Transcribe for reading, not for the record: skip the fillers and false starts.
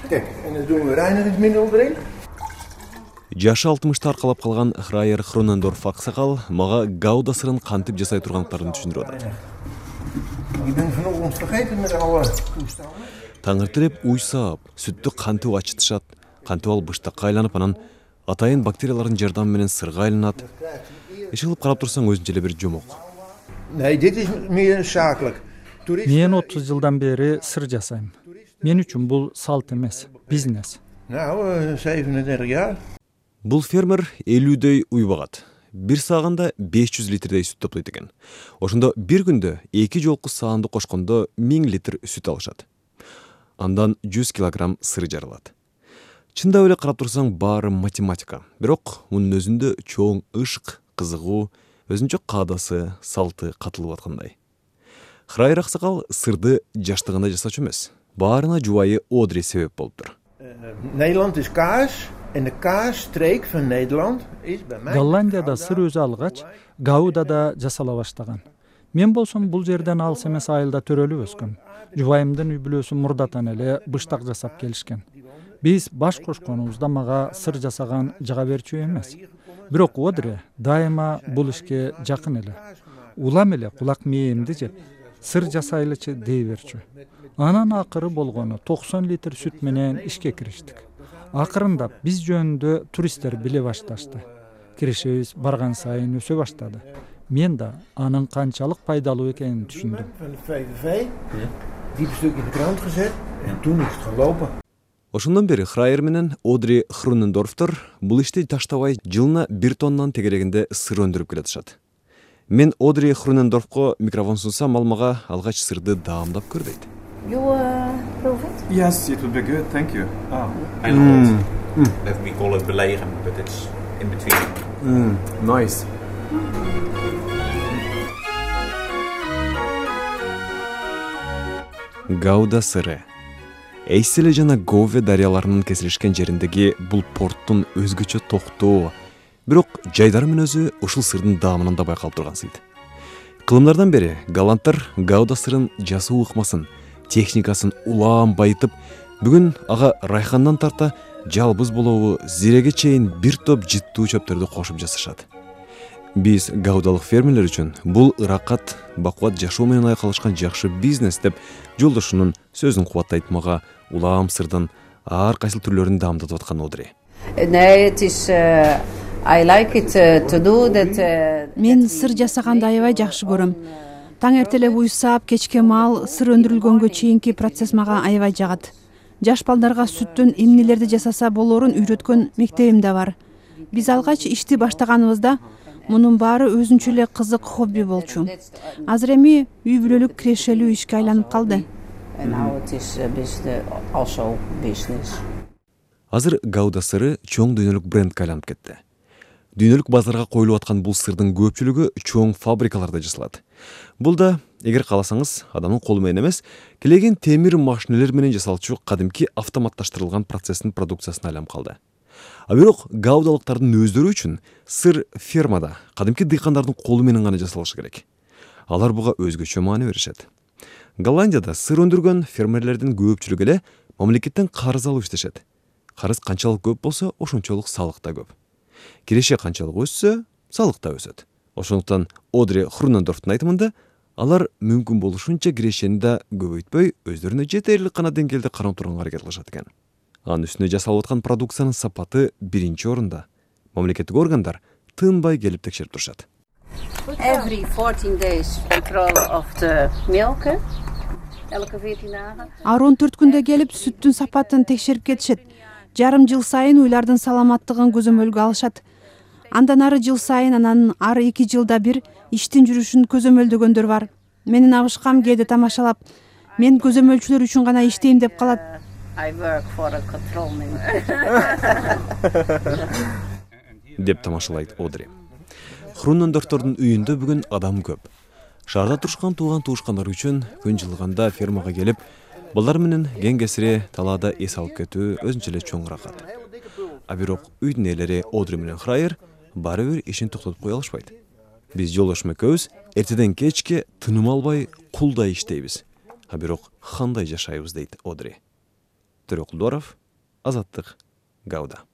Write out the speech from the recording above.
Kijk, en dan doen we reinigingsmiddel erin. Жашы 60-ты аркалап калган Храйер Хронендорф аксакал мага гауда сырын кантип жасай турганлыктарын түшүндүрүп атат. Ik ben vanochtend vergeten met alle toestanden. Таңертелеп уйсап, сүттү кантип ачытышат, кантип ал быштакка айланып, анан атайын бактериялардын жардамы менен сырга айланат. Иши кылып карап турсаң өзүнчө эле бир жомок. Nee, dit is meer zakelijk. Мен 30 жылдан бери сыр жасайм. Мен үчүн бул салт эмес, бизнес. Nou, 37 jaar. Бул фермер 50дөй уй багат. Бир саагында 500 литрдей сүт топлойт экен. Ошондо бир күндө 2 жолку саанды кошкондо 1000 литр сүт алышат. Андан 100 килограмм сыр жарылат. Чындап эле карап турсаң баары математика. Бирок мунун өзүндө чоң ышык, кызыгуу, өзүнчө каадасы, салты катылып аткандай. Храйер аксакал сырды жаштыгында жасачу эмес. Баарына жубайы Одри себеп болуптур. Nederland is kaas. En de kaasstreek van Nederland is bij mij. Голландияда сыр өзү алгач, Гаудада жасала баштаган. Мен болсом бул жерден алыс эмес айылда төрөлүп өскөм. Жубайымдын үй бүлөсү мурдатан эле быштак жасап келишкен. Биз баш кошконубузда мага сыр жасаган жага берчү эмес. Бирок Одри дайыма бул ишке жакын эле. Улам эле кулак мээримди жеп, сыр жасайлычы дей берчү. Анан акыры болгону 90 литр сүт менен ишке кириштик. Акырындап биз жөнүндө туристтер биле башташты. Киришибиз барган сайын өсө баштады. Мен да анын канчалык пайдалуу экенин түшүндүм. Van de VVV, die stuk in de krant gezet en toen is het gelopen. Ошондон бери Храйер менен Одри Хронендорфтор бул ишти таштабай жылына 1 тоннан тегерегинде сыр өндүрүп келатышат. Мен Одри Хронендорфко микрофон сунсам, ал мага алгач сырды даамдап көр дейт. You prove it? Yes, it would be good, thank you. Let me call it belegen, but it's in between. Nice. Гауда сыры. Эйселе жана Гове дарыяларынын кесилишкен жериндеги бул порттун өзгөчө токтоо, бирок жайдарымын өзү ушул сырдын даамынан да байкалып турган сыйт. Кылымдардан бери голландтар Гауда сырын жасоо ыкмасын, техникасын улаан байытып, бүгүн ага райхандан тарта жалбыз болобу, зиреге чейин бир топ жыттуу чөптөрдү кошуп жасашат. Биз гаудалык фермерлер үчүн бул ыракат, бакубат жашоо менен айкалышкан жакшы бизнес деп жолдошунун сөзүн кубаттайт мага улаам сырдын ар кайсыл түрлөрүн даамдатып аткан Одри. I like it to do that. Мен сыр жасаганды аябай жакшы көрөм. Таң эртелеп уйсап, кечке маал сыр өндүрүлгөнгө чейинки процесс мага аябай жагат. Жаш балдарга сүттүн эмнелерди жасаса болорун үйрөткөн мектебим да бар. Биз алгач ишти баштаганыбызда мунун баары өзүнчө эле кызык хобби болчу. Азыр эми үй бүлөлүк кирешелүү ишке айланып калды. Азыр Гауда сыры чоң дүйнөлүк брендке айланып кетти. Дүйнөлүк базарга коюлуп аткан бул сырдын көпчүлүгү чоң фабрикаларда жасалат. Бул да, эгер кааласаңыз, адамдын колу менен эмес, келеген темир машинелер менен жасалчу кадимки автоматташтырылган процесстин продукциясына айланып калды. А бирок гаудалыктардын өздөрү үчүн сыр фермада, кадимки дыйкандардын колу менен гана жасалышы керек. Алар буга өзгөчө маани беришет. Голландияда сыр өндүргөн фермерлердин көпчүлүгү эле мамлекеттен карыз алып иштешет. Карыз канчалык көп болсо, ошончолук салык да көп. Киреше канчалык өссө, салык да өсөт. Ошондуктан Одри Хронендорфтун айтымында алар мүмкүн болушунча кирешени да көбөйтпөй, өздөрүнө жетерлик гана деңгээлде карап турганга аракет кылышат экен. Анын үстүнө жасалып аткан продукциянын сапаты биринчи орунда. Мамлекеттик органдар тынбай келип текшерип турушат. Every 14 days control of the milk. Elke 14 dagen. Ар 14 күндө келип сүттүн сапатын текшерип кетишет. Жарым жыл сайын уйлардын саламаттыгын көзөмөлгө алышат. Андан ары жыл сайын, анан ары 2 жылда бир иштин жүрүшүн көзөмөлдөгөндөр бар. Менин абышкам кээде тамашалап, мен көзөмөлчүлөр үчүн гана иштейм деп калат. I work for a control man. Деп тамашалайт Одри. Хронендорфтордун үйүндө бүгүн адам көп. Шаарда турушкан тууган-туушкандар үчүн күн жылыганда фермага келип, балдар менен кең-кесире талаада эс алып кетүү өзүнчө эле чоң ыракат. А бирок үйдүн ээлери Одри менен Храйер бары бир ишин токтотуп кое алышпайт. Биз жолдошум экөөбүз эртеден кечке тыным албай кулдай иштейбиз. А бирок кандай жашайбыз дейт Одри. Төрөкулдуаров, Азаттык, Гауда.